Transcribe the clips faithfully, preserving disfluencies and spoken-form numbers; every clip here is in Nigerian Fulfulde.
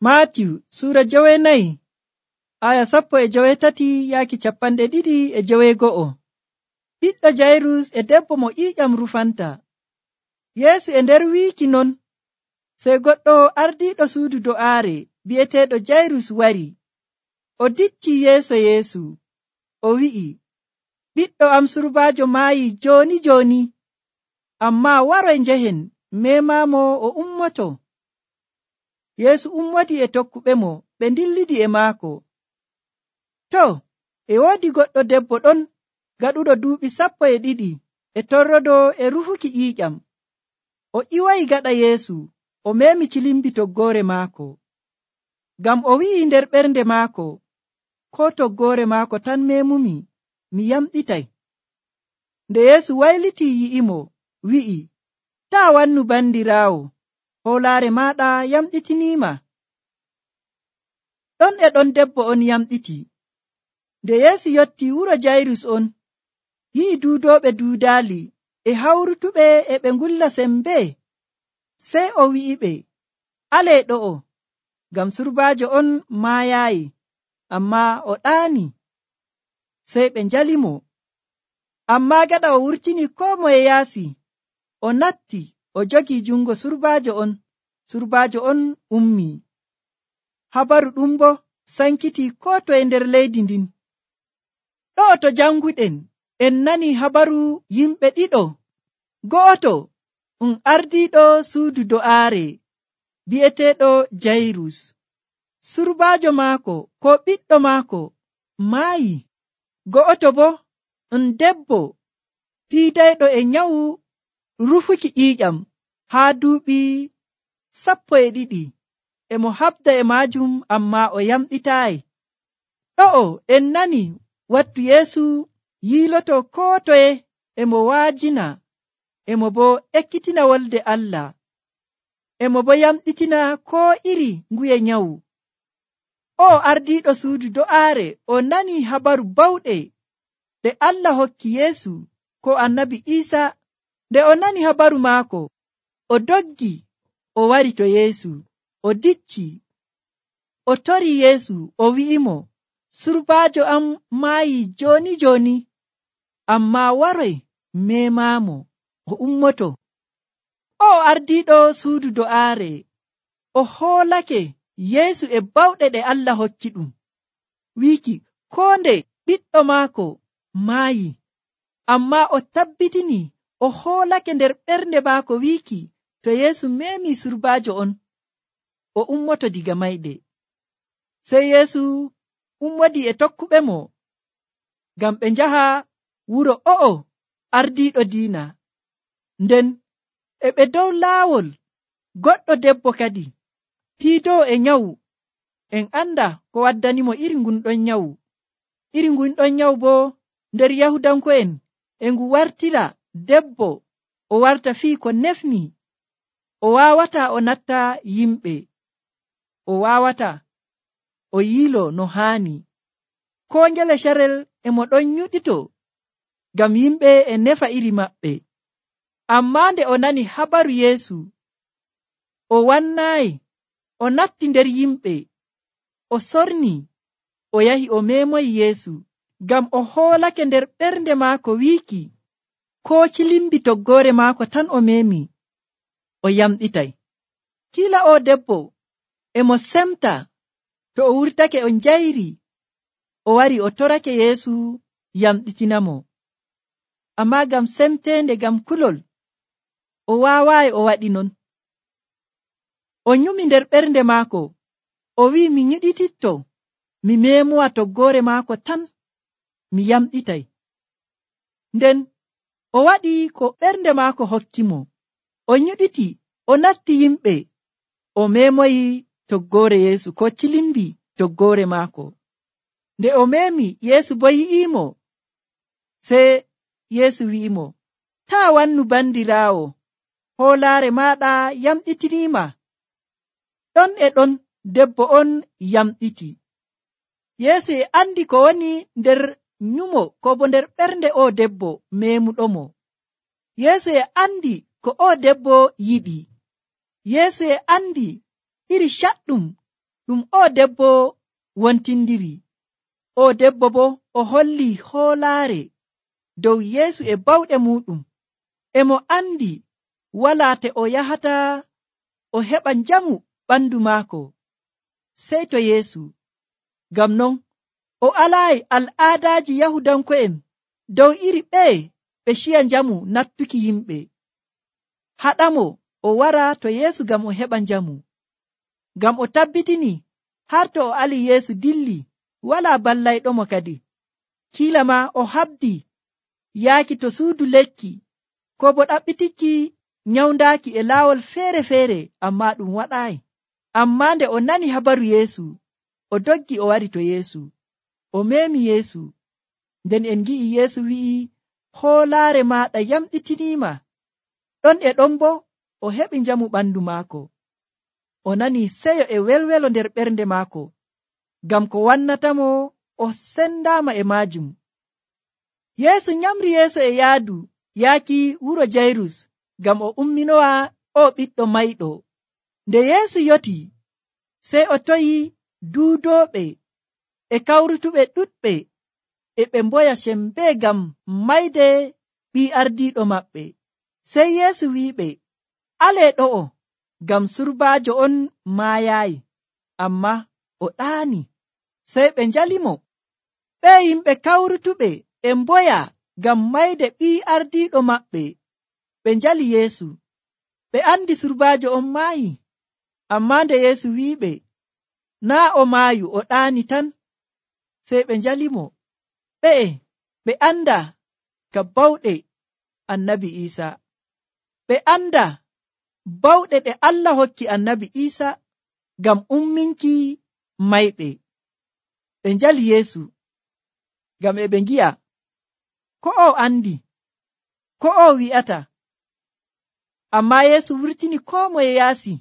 Maatiyu suura jowenayi aya sappo e jowetati yaaki capanɗe ɗiɗi e jowego'o. Ɓiɗɗo Jayrus e debbo mo ƴiiƴam rufanta. Yeesu e nder wiiki non, sey goɗɗo ardiiɗo suudu do'aare bi'eteeɗo Jayrus wari. O dicci yeeso Yeesu, o wi'i, ɓiɗɗo am surbaajo maayi jooni jooni, ammaa waroy njehen memamo o ummoto. Yeesu ummodi e tokkuɓemo, ɓe ndillidi e maako. To, e woodi goɗɗo debbo ɗon gaɗuɗo duuɓi sappo e ɗiɗi e torrodo e rufuki ƴiiƴam. O ƴiwoyi gaɗa Yeesu, o meemi cilimbi toggoore maako. Ngam o wi'i nder ɓernde maako, koo toggoore maako tan memumi, mi yamɗitay. Nde Yeesu waylitii yi'imo, wi'i, taa wannu bandiraawo, hoolaare maaɗa yamɗitiniima. Ɗon e ɗon debbo on yamɗiti. Nde Yeesu yotti wuro Jayrus on, yi'i duudooɓe duudaali e hawrutuɓe e ɓe ngulla sembee. Sey o wi'iɓe, alee ɗo'o, ngam surbaajo on maayaayi, ammaa o ɗaani. Sey ɓe njalimo. Ammaa gaɗa o wurtini koo moye yaasi, o natti o jogii jungo surbaajo on, surbaajo on ummii. Habaru ɗum boo sankiti koo toye nder leydi ndin. Ɗo'o to janguɗen en nani habaru yimɓe ɗiɗo. Go'oto um ardiiɗo suudu do'aare bi'eteeɗo Jayrus. Surbaajo maako ko ɓiɗɗo maako maayi. Go'oto boo um debbo piidayɗo e nyawu rufuki ƴiiƴam haa duuɓi sappo e ɗiɗi. E mo habda e maajum ammaa o yamɗitaayi. Ɗo'o en nani wattu Yeesu yiiloto koo toye e mo waajina, e mo boo ekkitina wolde Allah, e mo boo yamɗitina koo iri nguye nyawu. O ardiiɗo suudu do'aare o nani habaru bawɗe ɗe Allah hokki Yeesu ko annabi Iisa. Nde o nani habaru maako, o doggi o wari to Yeesu, o dicci, o tori Yeesu, o wi'imo, surbaajo am maayi jooni jooni, ammaa waroy memaamo o ummoto. O ardiiɗo suudu do'aare o hoolake Yeesu e bawɗe ɗe Allah hokki ɗum, wiiki koo nde ɓiɗɗo maako maayi, ammaa o tabbitini o hoolake nder ɓernde maako wiiki to Yeesu meemi surbaajo on, o ummoto diga mayde. Sey Yeesu ummodi e tokkuɓe mo ngam ɓe njaha wuro o'o ardiiɗo diina. Nden e ɓe dow laawol, goɗɗo debbo kadi piidoo e nyawu. En anda ko waddanimo iri ngun ɗon nyawu. Iri ngun ɗon nyawu boo nder Yahudanko'en e ngu wartira debbo o warta fii ko nefni. O waawata o natta yimɓe, o waawata o yiilo no haani. Koo ngele carel e mo ɗon nyuɗito ngam yimɓe e nefa iri maɓɓe. Ammaa nde o nani habaru Yeesu, o wannaayi, o natti nder yimɓe, o sorni, o yahi o meemoyi Yeesu, ngam o hoolake nder ɓernde maako wiiki koo cilimbi toggoore maako tan o meemi, o yamɗitay. Kiila o debbo e mo semta to o wurtake o njayri, o wari o torake Yeesu yamɗitinamo. Ammaa ngam semteende, ngam kulol, o waawaayi o waɗi non. O nyumi nder ɓernde maako, o wi'i, mi nyiɗititto mi meemowa toggoore maako tan, mi yamɗitay. Nden o waɗi ko ɓernde maako hokki mo. O nyiɗiti, o natti yimɓe, o meemoyi toggoore Yeesu, ko cilimbi toggoore maako. Nde o meemi, Yeesu boo yi'iimo. Sey Yeesu wi'imo, taa wannu bandiraawo, hoolaare maaɗa yamɗitiniima. Ɗon e ɗon debbo on yamɗiti. Yeesu e andi ko woni nder nyumo ko bo nder ɓernde o debbo meemuɗomo. Yeesu e andi ko o debbo yiɗi. Yeesu e andi iri caɗɗum ɗum o debbo wontindiri. O debbo bo o holli hoolaare dow Yeesu e bawɗe muɗum, e mo andi wala te o yahata o heɓa njamu ɓandu maako sey to Yeesu. Ngam non o alaayi al'aadaaji Yahudanko'en dow iri ɓeye ɓe ciya njamu nattuki yimɓe. Haɗamo o wara to Yeesu ngam o heɓa njamu, ngam o tabbitini har to o ali Yeesu dilli wala ballayɗomo kadi. Kiila ma o habdi yaaki to suudu lekki ko bo ɗaɓɓitikki nyawdaaki e laawol feere-feere, amma ɗum waɗaayi. Amma nde o nani habaru Yeesu, o doggi o wari to Yeesu, o meemi Yeesu. Nden en gi'i Yeesu wi'i, hoolaare maaɗa yamɗitiniima. Ɗon e ɗon bo o heɓi njamu ɓandu maako. O nani seyo e welwelo nder ɓernde maako, ngam ko wannatamo o sendaama e maajum. Yeesu nyamri yeeso e yaadu yaaki wuro Jayrus, ngam o umminowa o ɓiɗɗo mayɗo. Nde Yeesu yoti, sey o toyi duudooɓe e kawrutuɓe ɗuɗɓe, e ɓe mboya sembee ngam mayde ɓii ardiiɗo maɓɓe. Sey Yeesu wi'iɓe, alee ɗo'o, ngam surbaajo on maayaayi, amma o ɗaani. Sey ɓe njalimo. Ɓe yimɓe kawrutuɓe e mboya ngam mayde ɓii ardiiɗo maɓɓe. Ɓe njali Yeesu. Ɓe andi surbaajo on maayi. Amma nde Yeesu wi'iɓe, naa o maayu, o ɗaani tan. Sey ɓe njalimo. Ɓe'e ɓe anda ka bawɗe annabi Iisa. Ɓe anda bawɗe ɗe Allah hokki annabi Iisa ngam umminki mayɓe. Ɓe njali Yeesu ngam e ɓe ngi'a ko o andi, ko o wi'ata. Amma Yeesu wurtini koo moye yaasi.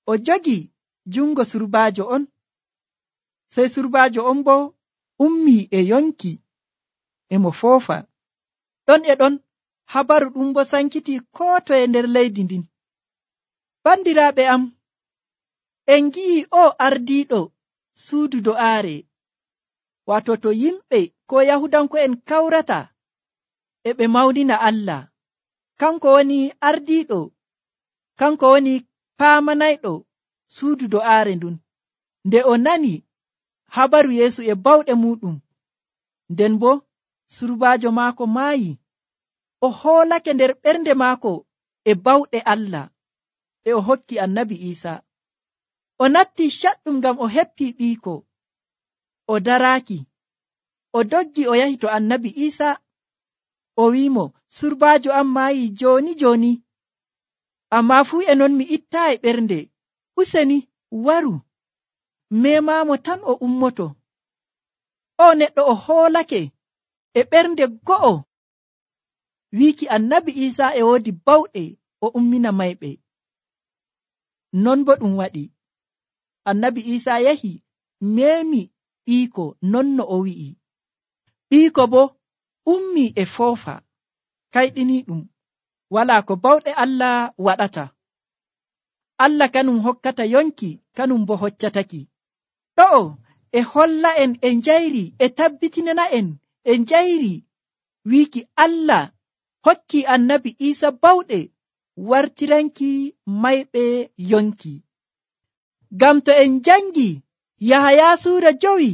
O jogi jungo surbaajo on. Sey surbaajo on bo ummi e yonki e mo foofa. Ɗon e ɗon habaru ɗum bo sankiti koo toye nder leydi ndin. Bandiraaɓe am, en ngi'i o ardiiɗo suudu do'aare, wato to yimɓe ko Yahudanko'en kawrata e ɓe mawnina Allah, kanko woni ardiiɗo, kanko woni paamanayɗo suudu do'aare ndun. Nde o nani habaru Yeesu e bawɗe muɗum, nden bo surbaajo maako maayi, o hoolake nder ɓernde maako e bawɗe Allah ɗe o hokki annabi Iisa. O natti caɗɗum ngam o heppi ɓiiko. O daraaki, o doggi o yahi to annabi Iisa. O wi'imo, surbaajo am maayi jooni jooni, amma fuu e non mi ittaayi ɓernde. Useni waru, memamo tan o ummoto. O neɗɗo o hoolake e ɓernde go'o wiiki annabi Iisa e woodi bawɗe o ummina mayɓe. Non bo ɗum waɗi. Annabi Iisa yahi meemi ɓiiko non no o wi'i. Ɓiiko bo ummi e foofa. Kayɗini ɗum wala ko bawɗe Allah waɗata. Allah kanum hokkata yonki, kanum bo hoccataki. Ɗo'o e holla en e njayri e tabbitinana en e njayri wiiki Allah hokki annabi Iisa bawɗe wartiranki mayɓe yonki. Ngam to en jangi Yahaya suura jowi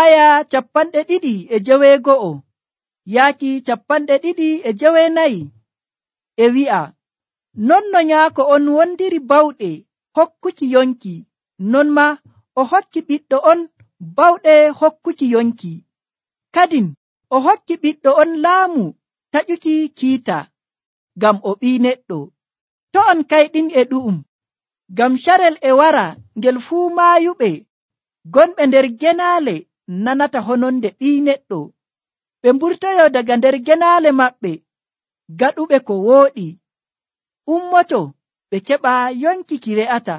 aya capanɗe ɗiɗi e jeweego'o yaaki capanɗe ɗiɗi e jeweenayi, e wi'a, non no nyaako on wondiri bawɗe hokkuki yonki, non ma o hokki ɓiɗɗo on bawɗe hokkuki yonki. Kadin o hokki ɓiɗɗo on laamu taƴuki kiita, ngam o ɓii neɗɗo. To on kayɗin e ɗu'um, ngam carel e wara ngel fuu maayuɓe gonɓe nder genaale nanata hononde ɓii neɗɗo. Ɓe mburtoyo daga nder genaale maɓɓe gaɗuɓe ko wooɗi. Ummoto ɓe keɓa yonki ki re'ata,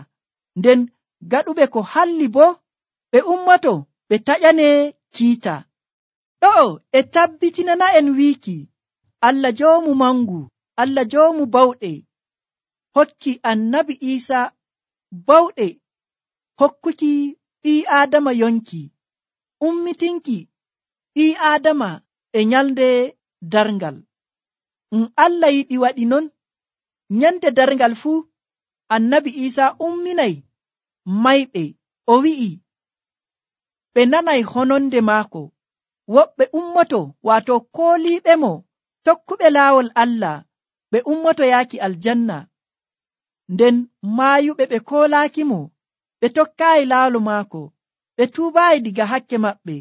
nden gaɗuɓe ko halli bo ɓe ummoto ɓe taƴane kiita. Ɗo'o e tabbitinana en wiiki Allah joomu mangu, Allah joomu bawɗe hokki annabi Iisa bawɗe hokkuki ɓii aadama yonki, ummitinki ɓii aadama e nyalde darngal. Um Allah yiɗi waɗi non. Nyande darngal fuu annabi Isa umminay mayɓe, o wi'i ɓe nanay hononde maako. Woɓɓe ummoto, waato kooliiɓe mo tokkuɓe laawol Allah, ɓe ummoto yaaki aljanna. Nden maayuɓe ɓe koolaaki mo, ɓe tokkaayi laawol maako, ɓe tuubaayi diga hakke maɓɓe,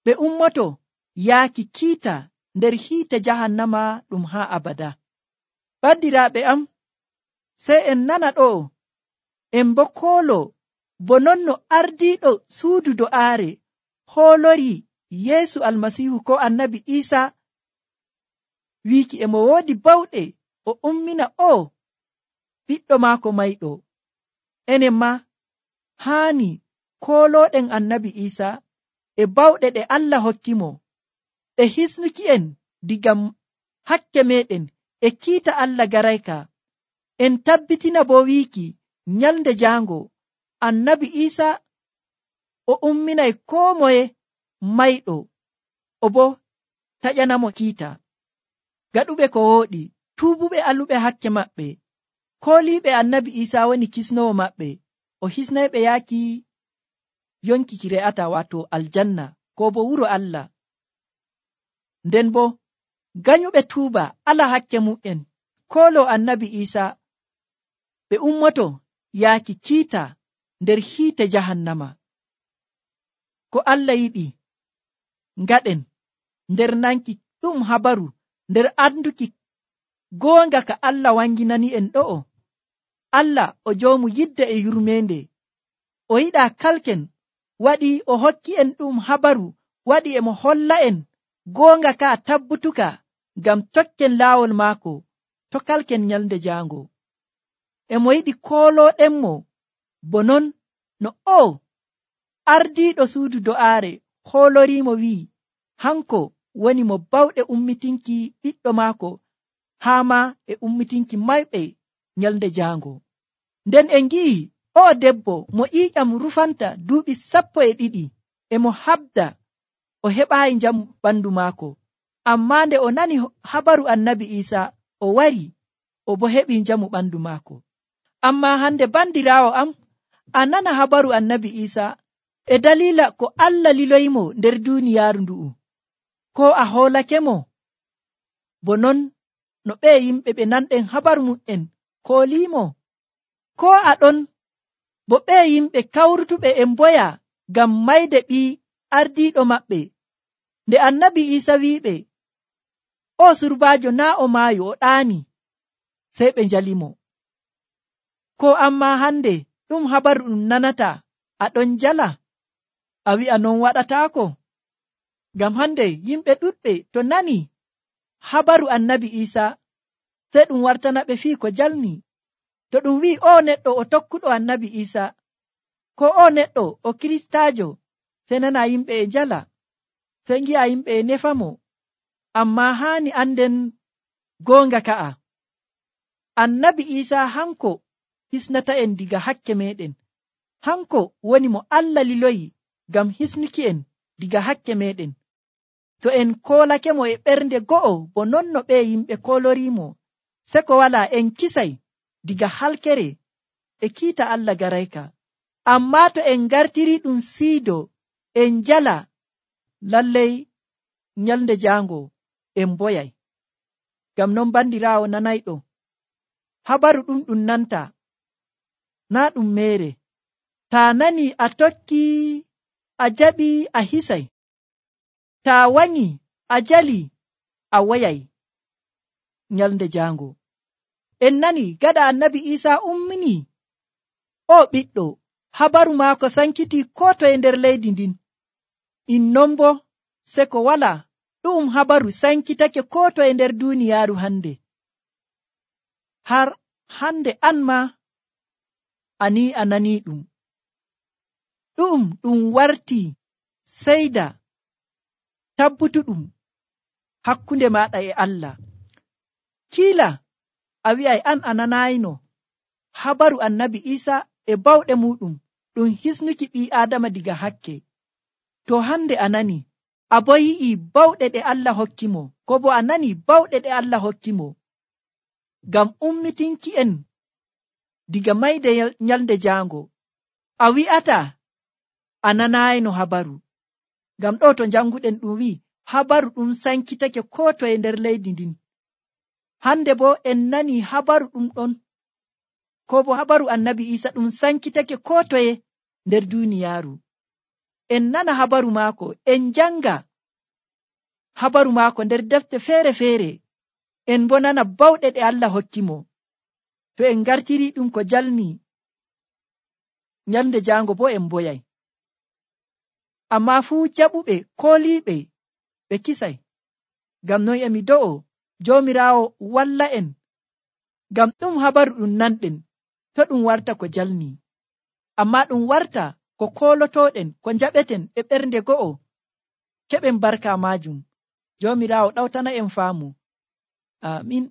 ɓe ummoto yaaki kiita nder hiite jahannama ɗum haa abada. Bandiraaɓe am, sey en nana ɗo en bo koolo bo non no ardiiɗo suudu do'aare hoolori Yeesu Almasiihu ko annabi Isa wiiki e mo woodi bawɗe o ummina o ɓiɗɗo maako mayɗo. Enen ma haani koolooɗen annabi Isa e bawɗe ɗe Allah hokki mo ɗe hisnuki en diga hakke meɗen e kiita Allah garayka. En tabbitina bo wiiki nyalde jaango annabi Isa o umminay koo moye mayɗo, o bo taƴanamo kiita. Gaɗuɓe ko wooɗi, tuubuɓe aluɓe hakke maɓɓe, kooliiɓe annabi Isa woni kisnowo maɓɓe, o hisnayɓe yaaki yonki ki re'ata, waato aljanna ko bo wuro Allah. Nden bo ganyuɓe tuuba ala hakke mu'en koolo annabi Isa, ɓe ummoto yaaki kiita nder hiite jahannama. Ko Allah yiɗi ngaɗen nder nanki ɗum habaru, nder anduki goonga ka Allah wanginani en ɗo'o. Allah o joomu yidde e yurmeende, o yiɗa kalken, waɗi o hokki en ɗum habaru, waɗi e mo holla en goonga ka tabbutuka ngam tokken laawol maako to kalken nyalde jaango. E mo yiɗi koolooɗenmo bo non no o ardiiɗo suudu do'aare hooloriimo wi'i hanko woni mo bawɗe ummitinki ɓiɗɗo maako haa ma e ummitinki mayɓe nyalde jaango. Nden en ngi'i o debbo mo ƴiiƴam rufanta duuɓi sappo e ɗiɗi e mo habda o heɓaayi njamu ɓandu maako, amma nde o nani habaru annabi Isa o wari o bo heɓi njamu ɓandu maako. Amma hande bandiraawo am, a nana habaru annabi Isa e dalila ko Allah liloyimo nder duuniyaaru ndu'u, ko a hoolake mo bo non no ɓe yimɓe ɓe nanɗen habaru mum'en koolimo, ko a ɗon bo ɓe yimɓe kawrutuɓe e mboya ngam mayde ɓii ardiiɗo maɓɓe. Nde annabi Isa wi'iɓe o surbaajo naa o maayo, o ɗaani, sey ɓe njalimo. Ko amma hande ɗum habaru ɗum nanata, a ɗon jala, a wi'a non waɗataako. Ngam hande yimɓe ɗuɗɓe to nani habaru annabi Isa sey ɗum wartana ɓe fii ko jalni. To ɗum wi'i o neɗɗo o tokkuɗo annabi Isa, ko o neɗɗo o kiristaajo, sey nana yimɓe e jala, sey ngi'a yimɓe e nefamo. Amma haani anden goonga ka'a, annabi Isa hanko hisnata en diga hakke meɗen. Hanko woni mo Allah liloyi ngam hisnuki en diga hakke meɗen. To en koolake mo e ɓernde go'o bo non no ɓe yimɓe koolorimo, se ko wala en kisay diga halkere e kiita Allah garayka. Amma to en gartiri ɗum siido en jala, lallay nyalde jaango en boyay. Ngam non bandiraawo nanayɗo, habaru ɗum ɗum nanta naa ɗum mere. Ta nani a tokki, a jaɓi, a hisay. Ta wanyi a jali, a woyay nyalde jaango. En nani gaɗa annabi Isa ummini o ɓiɗɗo, habaru maako sankiti ko toye nder leydi ndin. Innon bo se ko wala ɗum habaru sankitake ko toye nder duniyaaru hande. Har hande an ma ani a nani ɗum. Ɗum ɗum warti seyda tabbutuɗum hakkunde maɗa e Allah. Kiila a wi'ay an a nanayino habaru annabi Isa e bawɗe muɗum ɗum ɗum hisnuki ɓii Aadama diga hakke. To hande a nani, a bo yi'i bawɗe ɗe Allah hokki mo, ko bo a nani bawɗe ɗe Allah hokki mo, ngam ummitinki en diga mayde nyalde jaango, a wi'ata a nanayno habaru. Ngam ɗo to janguɗen ɗum wi'i habaru ɗum sankitake ko toye nder leydi ndin. Hande bo en nani habaru ɗum ɗon, ko bo habaru annabi Isa ɗum sankitake ko toye nder duniyaaru. En nana habaru maako, en janga habaru maako nder defte feere-feere, en bo nana bawɗe ɗe Allah hokki mo. To en gartiri ɗum ko jalni nyalde jaango bo en boyay. Amma fuu jaɓuɓe kooliiɓe ɓe kisay. Ngam non emi do'o Joomiraawo walla en, ngam ɗum habaru ɗum nanɗen to ɗum warta ko jalni, amma ɗum warta ko koolotoɗen, ko njaɓeten e ɓernde go'o, keɓen barka maajum. Joomiraawo ɗawtana en faamu. Amin.